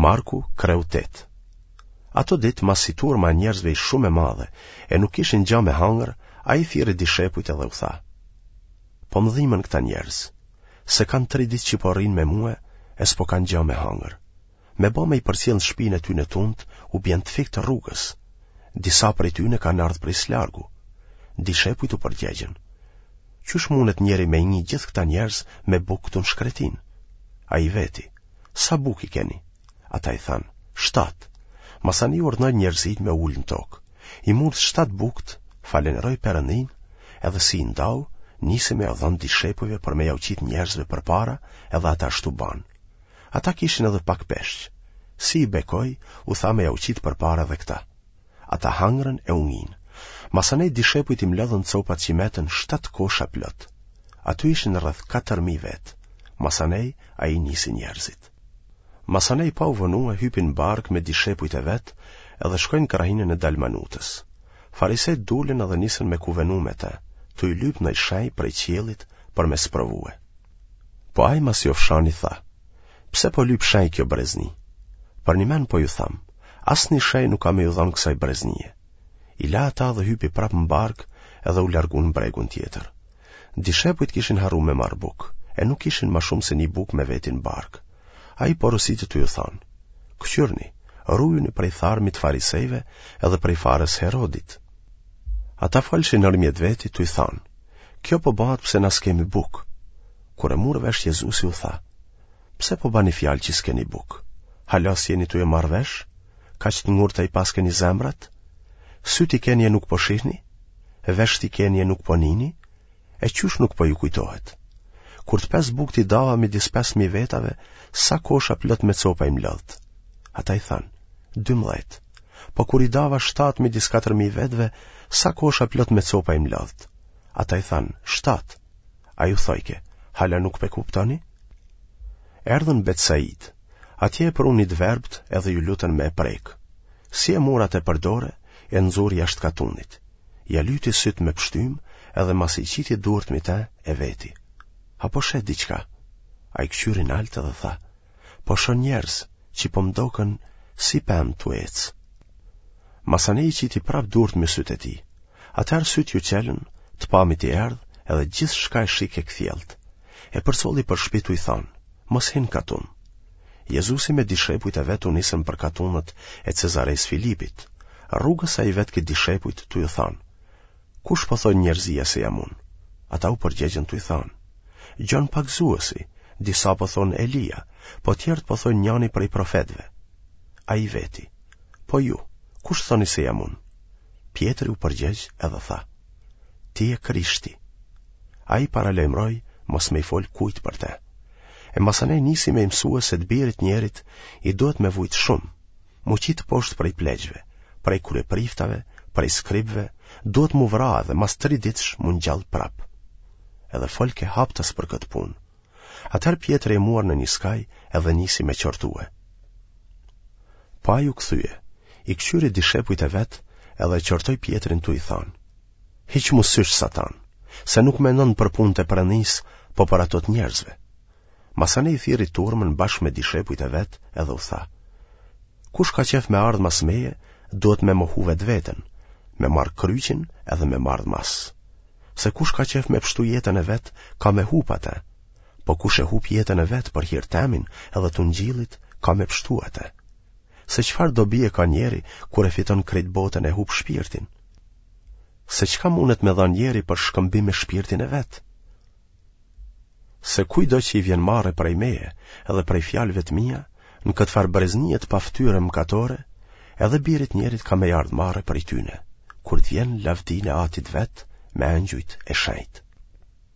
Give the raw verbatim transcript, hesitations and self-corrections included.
Marku, kreu tetë. Ato ditë, masi turma e njerëzve ish shumë e madhe, e nuk kishin gja me hangër, ai thirri dishepujt edhe u tha: Po më dhimen këta njerëz, se kanë tri ditë që po rrinë me mue e s'po kanë gja me hangër. Me ba me i përcjellë në shpinë e tyne tunt, u bjen të fiktë rrugës. Disa prej tyne kanë ardhë prej s'largu. Dishepujt u përgjegjën: Qysh mundet njeri me i ngi gjithë këta njerëz me bukë këtu në shkretinë? Ai i veti: Sa bukë i keni? Ata i thanë, shtatë. Masanej urdhnoi njerëzit me u ulë në tokë. I mur shtatë bukët, falenderoi Perëndinë, edhe si i ndau, nisi me jau dhënë dishepujve për me jau qitë njerëzve përpara, edhe ata ashtu banë. Ata kishin edhe pak peshq. Si i bekoi, u tha me jau qitë përpara edhe këta. Ata hangrën e u nginë. Masanej dishepujt i mlodhën copat që metën shtatë kosha plot. Aty ishin rreth katër mijë vetë. Masanej ai nisi njerëzit. Masanej pa u vonue hypi në barkë me dishepujt e vet edhe shkoi në krahinën e Dalmanutës. Farisejtë dulën edhe nisën me kuvenu me të, tuj lypë naj shenjë prej qiellit për me sprovue. Po ai masi ofshani tha, Pse po lyp shenjë kjo brezni? Përnjëmend po ju tham, asnjë shenjë nuk ka me ju dhanë kësaj breznie. I la ata dhe hypi prapë në barkë edhe u largu në bregun tjetër. Dishepujt kishin harru me marrë bukë, e nuk kishin ma shumë se një bukë me veti në barkë. Ai porositi tuj u thanë, Këqyrni, rujuni prej tharmit farisejve edhe prej farës Herodit. Ata folshin nërmjet veti tuj thanë, Kjo po bahet pse na s'kemi bukë. Kur e mur vesh Jezusi u tha, Pse po bani fjalë që s'keni bukë? Hala s'jeni tuj e marrë vesh? Kaq të ngurta i paskeni zemrat? Sytë i keni e nuk po shihni? Veshët i keni e nuk po nini? E qysh nuk po ju kujtohet? Kur të pesë bukët i dava midis pesë mijë vetave, sa kosha plot me copa i mblodhët? Ata i thanë, dymbëdhjetë. Po kur i dava shtatë midis katër mijë vetëve, sa kosha plot me copa i mblodhët? Ata i thanë, shtatë. Ai u thojke, hala nuk pe kuptoni? Erdhën në Betsaidë. Atje e prunë një të verbët edhe ju lutën me e prekë. Si e mur atë për dore, e nxuri jashtë katunit. Ia lyti sytë me pështymë, edhe masi i qiti durt mi te, e veti. A po sheh diçka? Ai këqyri nalt edhe tha, po shoh njerëz që po më doken si pemë tu ecë. Masanej i qiti prapë durt me sytë e tij. Atëherë sytë iu çelën, të pamit i erdh, edhe gjithçka e shihke kthjellët. E përcolli për shpi tuj thanë, mos hin n'katun. Jezusi me dishepujt e vet u nisën për katunët e Cezaresë Filipit. Rrugës ai vetke dishepujt tuj u thanë, Kush po thojnë njerëzia se jam unë? Ata u përgjegjën tuj thanë, Gjon Pagëzuesi, disa po thonë Elia, po tjerët po thojnë njani prej profetëve. Ai i veti, Po ju, kush thoni se jam unë? Pjetri u përgjegj edhe tha, Ti je Krishti. Ai paralajmëroi mos me i fol kujt për te. E masanej nisi me i mësue se të birit njerit i duhet me vujt shumë, m'u qitë poshtë prej pleqve, prej kryepriftave, prej skribëve, duhet m'u vra edhe mas tri ditësh m'u ngjall prapë. Edhe folke haptas për këtë punë. Atëherë Pjetri e muar në një skaj edhe nisi me qortue. Po ai u kthye, i këqyri dishepujt e vet edhe e qortoi Pjetrin tuj i thanë, Hiqmu sysh Satan, se nuk mendon për punët e Perëndisë, po për ato të njerëzve. Masanej thirri turmën bashkë me dishepujt e vet edhe u tha, Kush ka qejf me ardhë mas meje, duhet me mohu vetveten, me marrë kryqin edhe me m'ardhë mas. Se kush ka qejf me pshtu jetën e vet, ka me hup atë. Po kush e hup jetën e vet për hir temin edhe të ungjillit, ka me pshtu atë. Se çfarë dobie ka njeri kur e fiton krejt botën e hup shpirtin? Se çka mundet me dhanë njeri për shkëmbim me shpirtin e vet? Se kujtdo që i vjen marre prej meje edhe prej fjalëve të mia, në këtë farë breznie të paftyrë e mëkatore, edhe birit njerit ka me i ardhë marre prej tyne, kur të vjen lavdinë e atit vet me engjujt e shenjtë.